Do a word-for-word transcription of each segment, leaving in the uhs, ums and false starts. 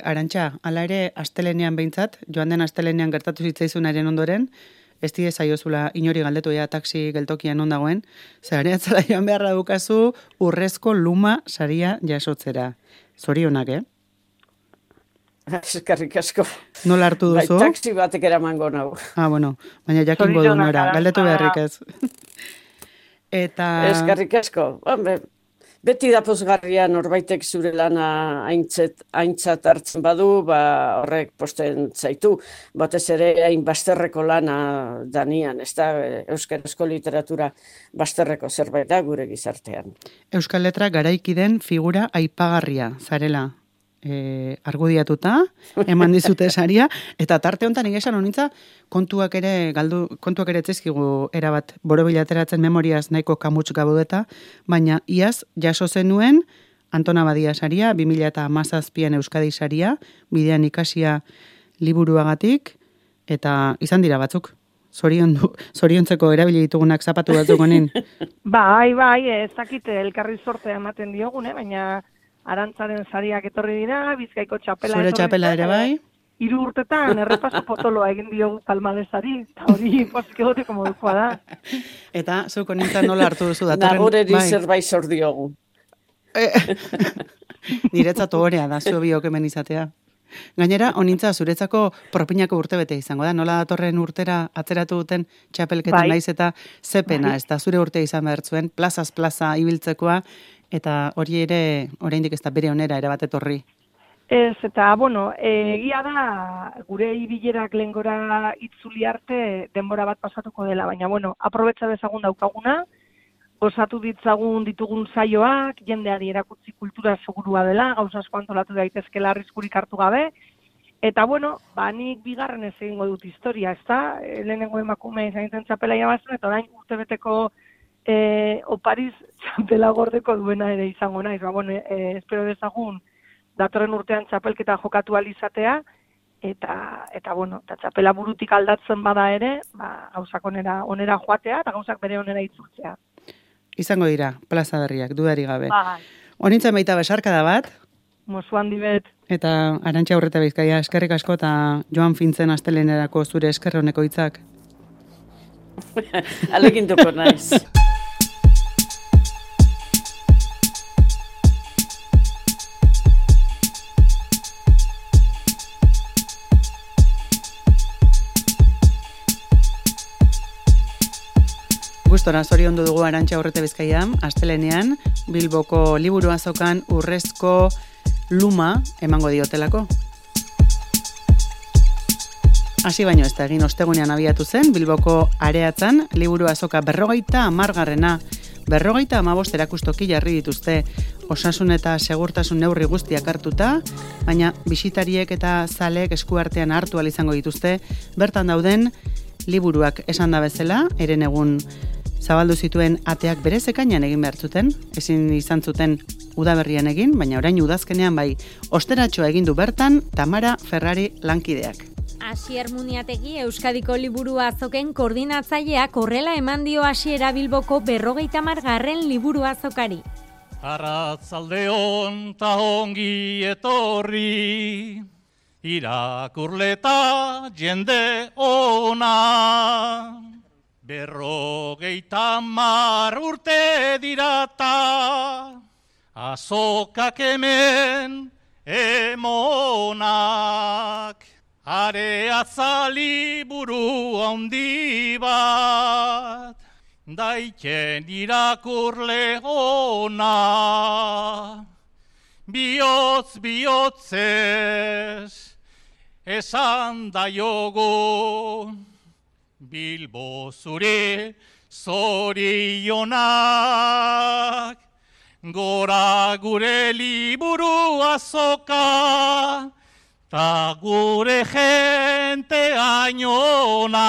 Arantxa, hala ere, astelenean behintzat, joan den astelenean gertatu zitzaizunaren ondoren, ez die zaiozula inori galdetu ea taxi geltokian non dagoen, zare atzala joan beharra dukazu urrezko luma saria jasotzera. Zorionak, eh? Eskerrik asko. Nola hartu duzu? Bai, taxi batek eramango nau. Ah, bueno, baina jakingo du nora, galdetu beharrik ez. Eta... Eskerrik asko. Hombre, beti da pozgarria norbaitek zure lana aintzat, aintzat hartzen badu, ba horrek posten zaitu. Batez ere hain bazterreko lana danian, ez da euskarazko literatura bazterreko zerbait da gure gizartean. Euskal Letra garaiki den figura aipagarria, zarela. E, argudiatuta, eman dizute saria, eta tarte honetan egesan honitza kontuak ere galdu, kontuak ere etzizkigu erabat borobilateratzen memoriaz nahiko kamuts gabudeta, baina iaz jaso zenuen Antona Badia saria, bi mila hamazazpian Euskadi saria, bidean ikasia liburuagatik, eta izan dira batzuk. Zoriondu, zoriontzeko erabili ditugunak zapatu batzuk honin. Bai, bai, ez dakite elkarri sortea ematen diogune, baina Arantzaren sariak etorri dira, Bizkaiko txapela Zure txapela ere bai? Hiru urtetan errepaso potoloa egin diogu palmadesari, eta hori pozik egoteko modukoa da. Eta zuk honintzen nola hartu duzu datorren? Nagoreri bai. Zerbait zor diogu. Niretzat ohorea da, zu biok hemen izatea. Gainera, honintza zuretzako propinako urte bete izango da, nola datorren urtera atzeratu duten txapelketan bai. Naiz eta zepena, bai. Ez da zure urte izan behar zuen, plazaz plaza ibiltzekoa, eta hori ere, oraindik ez da bere onera ere bat etorri. Ez, eta, bueno, egia da, gure ibilerak lehengora itzuli arte denbora bat pasatuko dela, baina, bueno, aprobetsa dezagun daukaguna, osatu ditzagun ditugun saioak, jendeari erakutsi kultura segurua dela, gauza asko antolatu daitezkela arriskurik hartu gabe, eta, bueno, ba, nik bigarren ez egingo dut historia, ez da, lehenengo emakume izan zen txapela irabazten, eta orain urtebeteko E, opariz txapela gordeko duena ere izango naiz, ba, bueno, e, espero dezagun datorren urtean txapelketa jokatu alizatea, eta, eta bueno, eta txapela burutik aldatzen bada ere, ba, gauzak onera, onera joatea, eta gauzak bere onera itzultzea. Izango dira, plaza berriak, dudari gabe. Bai. Honintzen baita besarkada bat. Mozu handi bet. Eta Arantxa Urreta Bizkaia, eskerrik asko, eta joan fintzen astelenerako zure eskerroneko hitzak. Alegintuko naiz. Gustora zoriondu dugu Arantxa Urreta Bizkaia, astelenean Bilboko liburu azokan urrezko luma emango diotelako. Hasi baino ez da egin ostegunean abiatu zen, Bilboko areatzan liburu azoka berrogeita hamargarrena, berrogeita hamabost erakustoki jarri dituzte, osasun eta segurtasun neurri guztiak hartuta, baina bisitariek eta zaleek eskuartean hartu ahal izango dituzte, bertan dauden liburuak esan da bezala, eren egun zabaldu zituen ateak berez ekainan egin behar zuten, ezin izan zuten udaberrian egin, baina orain udazkenean bai, osteratxoa egin du bertan Tamara Ferrari lankideak. Asier Muniategi Euskadiko liburu azoken koordinatzaileak horrela eman dio hasiera Bilboko berrogeita hamargarren liburu azokari. Arratzaldeon ta ongi etorri, irakurleta jende ona. Berrogeita hamar urte dirata, azokak hemen emonak. Areatza liburu handi bat, daiken irakurle ona. Bihotz bihotzez esan daiogu, Bilbo zure zorionak. Gora gure liburu azoka, ta gure jente ainona.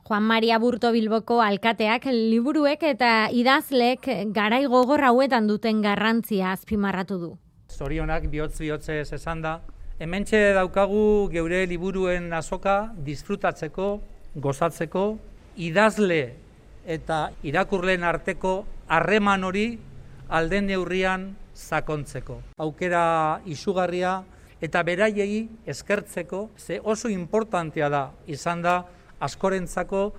Juan Maria Burto Bilboko alkateak liburuek eta idazlek garai gogor hauetan duten garrantzia azpimarratu du. Zorionak bihotz bihotzez esan da. Hementxe daukagu geure liburuen azoka disfrutatzeko, gozatzeko, idazle eta irakurleen arteko harreman hori alden neurrian sakontzeko. Aukera izugarria eta beraiei eskertzeko, ze oso importantea da, izan da, askorentzako,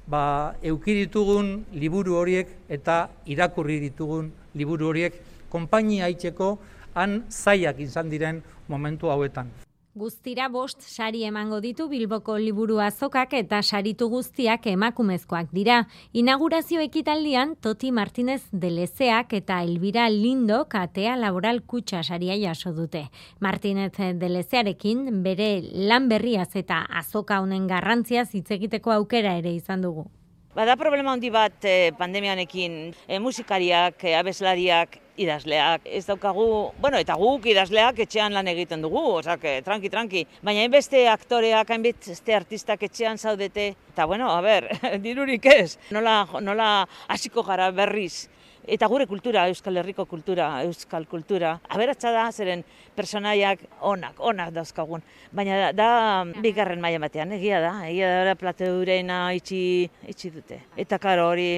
ba, euki ditugun liburu horiek eta irakurri ditugun liburu horiek konpainia aitzeko han zaiak izan diren momentu hauetan. Guztira bost sari emango ditu Bilboko liburu azokak eta saritu guztiak emakumezkoak dira. Inaugurazio ekitaldian Toti Martínez de Lezeak eta Elvira Lindok Atea Laboral Kutxa saria jaso dute. Martínez de Lezearekin bere lan berriaz eta azoka honen garrantziaz hitz egiteko aukera ere izan dugu. Bada problema handi bat eh, pandemianekin, eh, musikariak, eh, abeslariak, idazleak, ez daukagu, bueno, eta guk idazleak etxean lan egiten dugu, osak, tranqui, tranqui, baina hainbeste aktoreak, hainbeste artistak etxean zaudete, eta bueno, a ber, dirurik ez, nola, nola hasiko gara berriz, eta gure kultura, Euskal Herriko kultura, Euskal kultura, aberatsa da, zeren personaiak onak, onak dauzkagun, baina da, da bigarren maila batean, egia da, egia da, plateurena itxi, itxi dute, eta karo hori,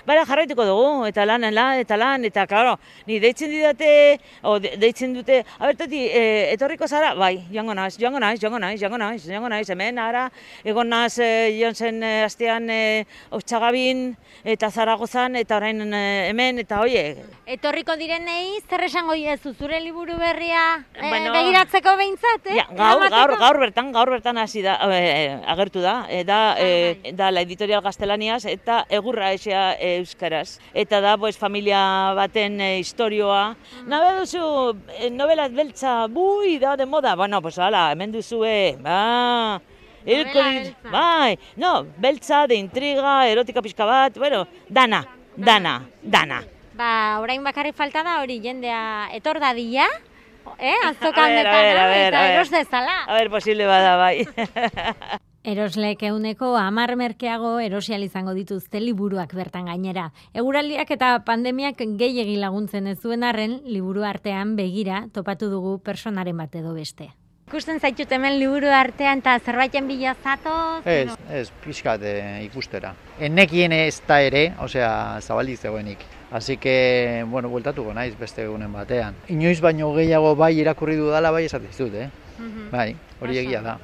bara jarraituko dugu, eta lan, lan, eta lan, eta, klaro, ni deitzen didate, o de, deitzen dute, abertati, e, etorriko zara, bai, joango naiz, joango naiz, joango naiz, joango naiz, joango naiz, hemen, ara, egon naz, e, joan zen e, astean e, Otxagabin, eta Zaragozan, eta orain e, hemen, eta oie. Etorriko direnei, zer esango diezu, zure liburu berria e, bueno, begiratzeko behintzat, eh? Ja, gaur, gaur, gaur bertan, gaur bertan hasi da, e, agertu da, e, da, e, da, la editorial Gaztelaniaz, eta egurra esea e, euskaraz. Eta da, pues, familia baten e, historioa. Nabe duzu, e, novela beltza, bui, da, de moda. Bueno, pues, ala, hemen duzue, ba, Novela bai, no, beltza, de intriga, erotika pixka bat, bueno, dana, dana, dana. Ba, orain bakarrik falta da hori jendea etor dadila, eh? Azoka A ver, a ver, a honetara, ver, eta a ver. eros dezala. A ver, posible bada, bai. Eroslek euneko hamar merkeago erosial izango dituzte liburuak bertan gainera. Eguraldiak eta pandemiak gehiegi laguntzen ez zuen arren, liburu artean begira topatu dugu personaren bat edo beste. Ikusten zaitut hemen liburu artean eta zerbaiten bila zatoz? Ez, ez, pixkat eh, ikustera. Enekien ez da ere, osea, zabaldik zegoenik. Así que, bueno, bueltatuko naiz beste egunen batean. Inoiz baino gehiago bai irakurri dudala bai esate dizut, eh? Bai, hori egia da.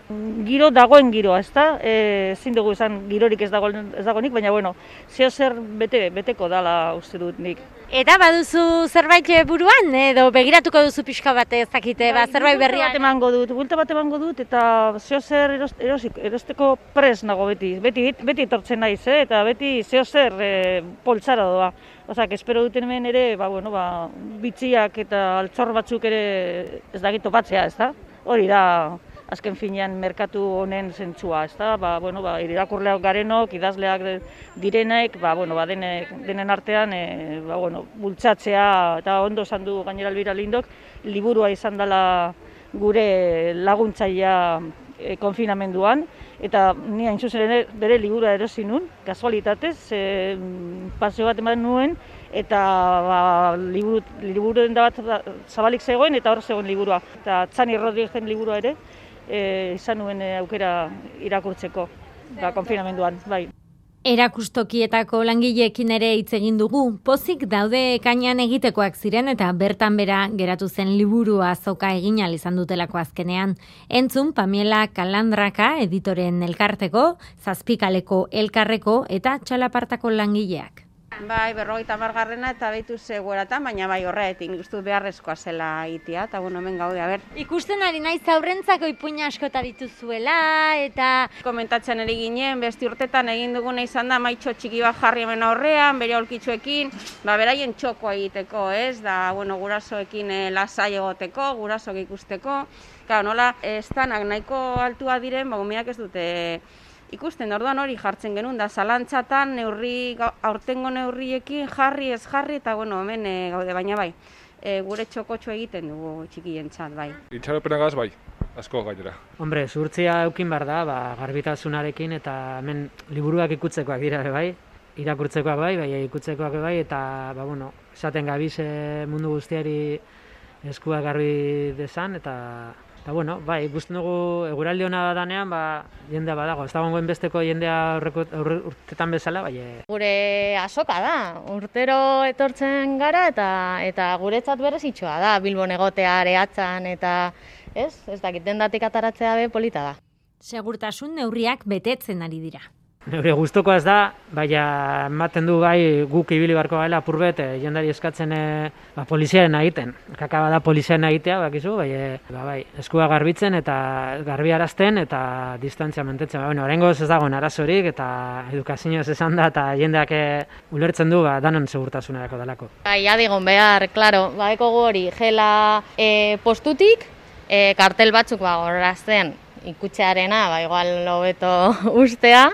Giro dagoen giroa, ezta? Eh, ezin dugu izan girorik ez dago ez dagoenik, baina bueno, zeo zer bete beteko dala uste dut nik. Eta baduzu zerbait buruan edo begiratuko duzu pixka bat ezakite, ba, zerbait berria. Bat emango dut, buelta bat emango dut eta zeo zer eros, erosik, erosteko pres nago beti. Beti beti etortzen naiz, eh? Eta beti zeo zer eh, poltsara doa. Osak, espero duten hemen ere, ba, bueno, ba, bitxiak eta altzor batzuk ere ez dakit topatzea, ezta? Hori da, azken finean merkatu honen zentzua, ezta? Ba, bueno, ba, irakurleak garenok, idazleak direnek, ba, bueno, ba, denek, denen artean, e, ba, bueno, bultzatzea, eta ondo esan du gainera Elvira Lindok, liburua izan dela gure laguntzailea e, konfinamenduan, eta ni hain zuzen ere bere liburua erosi nun, kasualitatez, e, paseo bat eman nuen, eta ba, liburu, liburu denda bat zabalik zegoen, eta hor zegoen liburua. Eta Txani Rodriguezen liburua ere, e, izan nuen e, aukera irakurtzeko, ba, konfinamenduan, bai. Erakustokietako langileekin ere hitz egin dugu, pozik daude ekainean egitekoak ziren eta bertan bera geratu zen liburua azoka egin ahal izan dutelako azkenean. Entzun Pamela Kalandraka editoren elkarteko, Zazpikaleko elkarreko eta Txalapartako langileak. Bai, berrogeita hamargarrena eta behitu zegoeratan, baina bai horretik, nik uste beharrezkoa zela itia, eta bueno, hemen gaude, a ber. Ikusten ari naiz aurrentzako ipuina askota dituzuela, eta... Komentatzen eri ginen, besti urtetan egin duguna izan da, maitxo txiki bat jarri hemen aurrean, bere aulkitxoekin, ba, beraien txokoa egiteko, ez, da, bueno, gurasoekin e, lasai egoteko, gurasoak ikusteko, claro, nola, estanak nahiko altua diren, ba, umeak ez dute... Ikusten, orduan hori jartzen genuen, da zalantzatan neurri, aurtengo neurriekin jarri ez jarri, eta bueno, hemen e, gaude, baina bai, e, gure txokotxo egiten dugu txikientzat, bai. Itxaropenagaz bai, asko gainera. Hombre, zuhurtzia eukin behar da, ba, garbitasunarekin, eta hemen liburuak ikutzekoak dira, bai, irakurtzekoak bai, bai, ikutzekoak bai, eta, ba, bueno, esaten gabiz mundu guztiari eskua garbi dezan, eta Eta, bueno, bai, ikusten dugu eguraldi hona danean, ba, jendea badago. Ez dagoen besteko jendea aurreko urtetan bezala, bai. Gure azoka da, urtero etortzen gara eta eta guretzat berezitxoa da, Bilbon egotea areatzan eta ez, ez dakit dendatik ataratzea be polita da. Segurtasun neurriak betetzen ari dira. Neure gustuko ez da, baina ematen du bai guk ibili barko gaela apurbet, e, jendari eskatzen e, ba, poliziaren egiten. Kakaba da poliziaren egitea, bakizu, bai, e, ba, bai, eskua garbitzen eta garbiarazten eta distantzia mantentzen. Ba, bueno, oraingoz ez dagoen arazorik eta edukazioz esan da eta jendeak e, ulertzen du ba, danon segurtasunerako dalako. Bai, adigon behar, klaro, badekogu hori, gela e, postutik, e, kartel batzuk ba, gorazten ikutxearena, ba, igual hobeto ustea,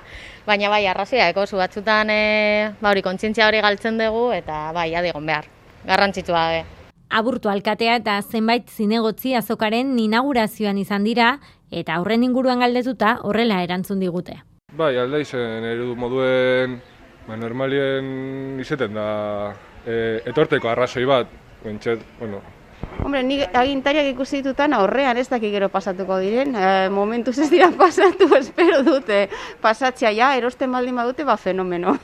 baina bai, arrazia, eko zu batzutan e, ba, hori kontzientzia hori galtzen dugu eta bai, adigon behar, garrantzitsua be. Aburto alkatea eta zenbait zinegotzi azokaren inaugurazioan izan dira eta horren inguruan galdetuta horrela erantzun digute. Bai, alda izen eredu moduen ba, normalien izeten da e, etorteko arrazoi bat, bentset, bueno, Hombre, nik agintariak ikusi ditutan aurrean ez dakik gero pasatuko diren. E, momentuz ez dira pasatu, espero dute pasatzea ja, erosten baldin badute, ba fenomeno.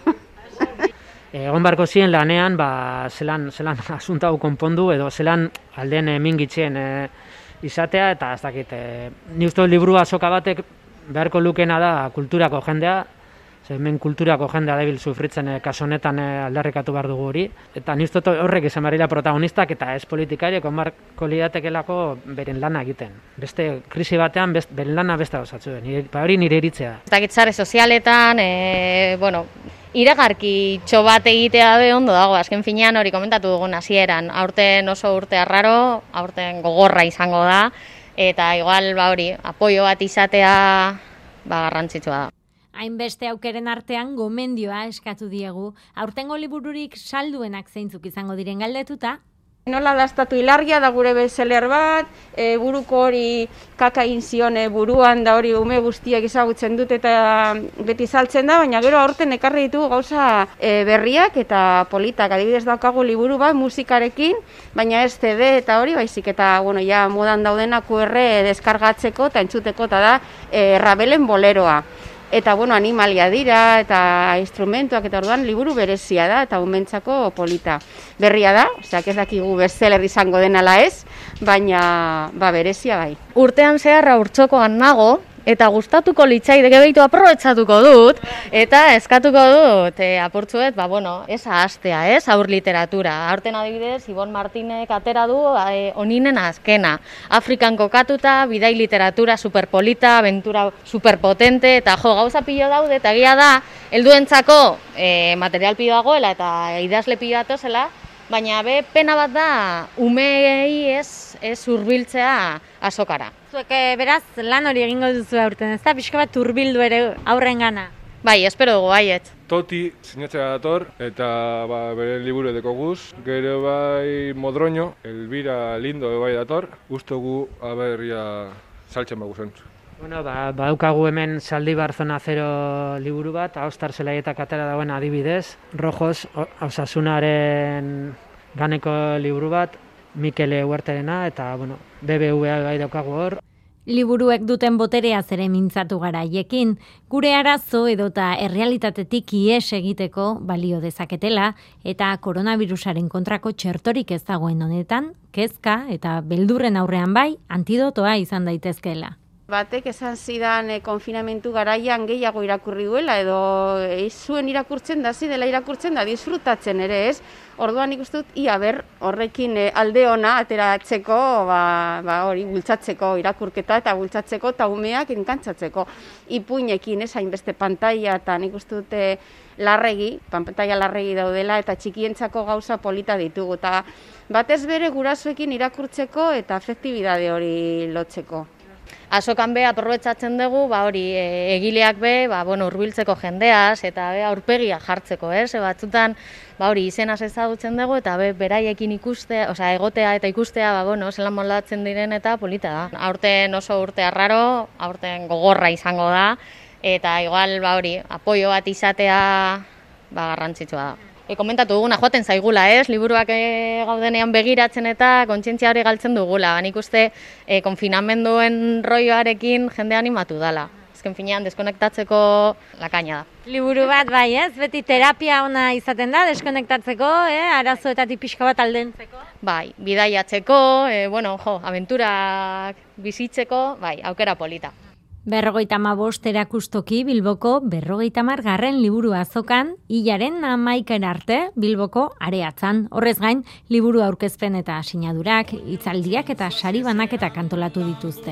Egon barko ziren lanean, ba, zelan, zelan asunta hau konpondu edo zelan alden mingitzen e, izatea eta ez dakit. E, ni uste liburu azoka batek beharko lukena da kulturako jendea, hemen kulturako jendea debil sufritzen e, kaso honetan e, aldarrikatu behar dugu hori. Eta ni uste horrek izan barila protagonistak eta ez politikariek onbarko lidatekelako beren lana egiten. Beste krisi batean best, beren lana beste osatzen. Ba hori nire iritzea. Ez dakit sare sozialetan, e, bueno, iragarki txo bat egitea be ondo dago, azken finean hori komentatu dugun hasieran. Aurten oso urte arraro, aurten gogorra izango da, eta igual ba hori, apoio bat izatea ba garrantzitsua da. Hainbeste aukeren artean gomendioa eskatu diegu. Aurtengo libururik salduenak zeintzuk izango diren galdetuta. Nola dastatu hilargia da gure bestseller bat, e, buruko hori kaka egin zion e, buruan da hori ume guztiak ezagutzen dut eta beti saltzen da, baina gero aurten ekarri ditugu gauza e, berriak eta politak. Adibidez daukagu liburu bat musikarekin, baina ez C D eta hori baizik eta bueno, ja modan daudena Q R deskargatzeko eta entzuteko eta da e, Rabelen boleroa. Eta bueno, animalia dira eta instrumentuak eta orduan liburu berezia da eta umentzako polita. Berria da, osea, ez dakigu bestseller izango denala ez, baina ba berezia bai. Urtean zeharra urtzokoan nago eta gustatuko litzaideke behitu aprobetxatuko dut eta eskatuko dut e, apurtzuet, ba bueno, ez ahaztea, ez, aur literatura. Aurten adibidez, Ibon Martinek atera du e, oninen azkena. Afrikan kokatuta, bidai literatura superpolita, aventura superpotente eta jo, gauza pilo daude eta egia da, helduentzako e, material pilo dagoela eta idazle pilo datozela, baina be pena bat da umeei ez, ez hurbiltzea azokara. Zuek beraz lan hori egingo duzu aurten, ez da pixka bat hurbildu ere aurrengana. Bai, espero dugu baiet. Toti sinatzea dator eta ba, bere liburu edeko guz. Gero bai Modroño, Elvira Lindo bai dator. Gustogu aberria saltzen bagu zen. Bueno, ba, badaukagu hemen Zaldibar Zona Zero liburu bat, Ahostar Zelaietak atera dagoen adibidez, Rojos Osasunaren ganeko liburu bat, Mikele Huerterena eta bueno, B B V A bai daukagu hor. Liburuek duten boterea ere mintzatu gara haiekin, gure arazo edota errealitatetik ihes egiteko balio dezaketela eta koronavirusaren kontrako txertorik ez dagoen honetan, kezka eta beldurren aurrean bai antidotoa izan daitezkeela. Batek esan zidan e, konfinamentu garaian gehiago irakurri duela edo ez zuen irakurtzen da, zidela irakurtzen da, disfrutatzen ere ez. Orduan ikusten dut, ia ber, horrekin e, alde ona ateratzeko, ba, ba, hori, bultzatzeko irakurketa eta bultzatzeko eta umeak enkantzatzeko. Ipuinekin ez hainbeste pantaila eta nik uste dute larregi, pantaila larregi daudela eta txikientzako gauza polita ditugu. Eta batez bere gurasoekin irakurtzeko eta afektibidade hori lotzeko. Azokan be aprobetxatzen dugu, ba hori e, egileak be, ba bueno, hurbiltzeko jendeaz eta be aurpegia jartzeko, ez? E, batzutan ba hori izenaz ezagutzen dugu eta be beraiekin ikustea, osea egotea eta ikustea, ba bueno, zelan moldatzen diren eta polita da. Aurten oso urte arraro, aurten gogorra izango da eta igual ba hori apoio bat izatea ba garrantzitsua da. e, komentatu duguna, joaten zaigula, ez? Liburuak e, gaudenean begiratzen eta kontzientzia hori galtzen dugula. Nik uste e, konfinamenduen roioarekin jende animatu dala. Ezken finean, deskonektatzeko lakaina da. Liburu bat bai, ez? Beti terapia ona izaten da, deskonektatzeko, eh? Arazoetatik pixka bat aldentzeko. Bai, bidaiatzeko, e, bueno, jo, abenturak bizitzeko, bai, aukera polita. Berrogeita hamabost erakustoki Bilboko berrogeita hamar garren liburu azokan, hilaren hamaikara arte Bilboko areatzan. Horrez gain, liburu aurkezpen eta sinadurak, hitzaldiak eta sari banaketak antolatu dituzte.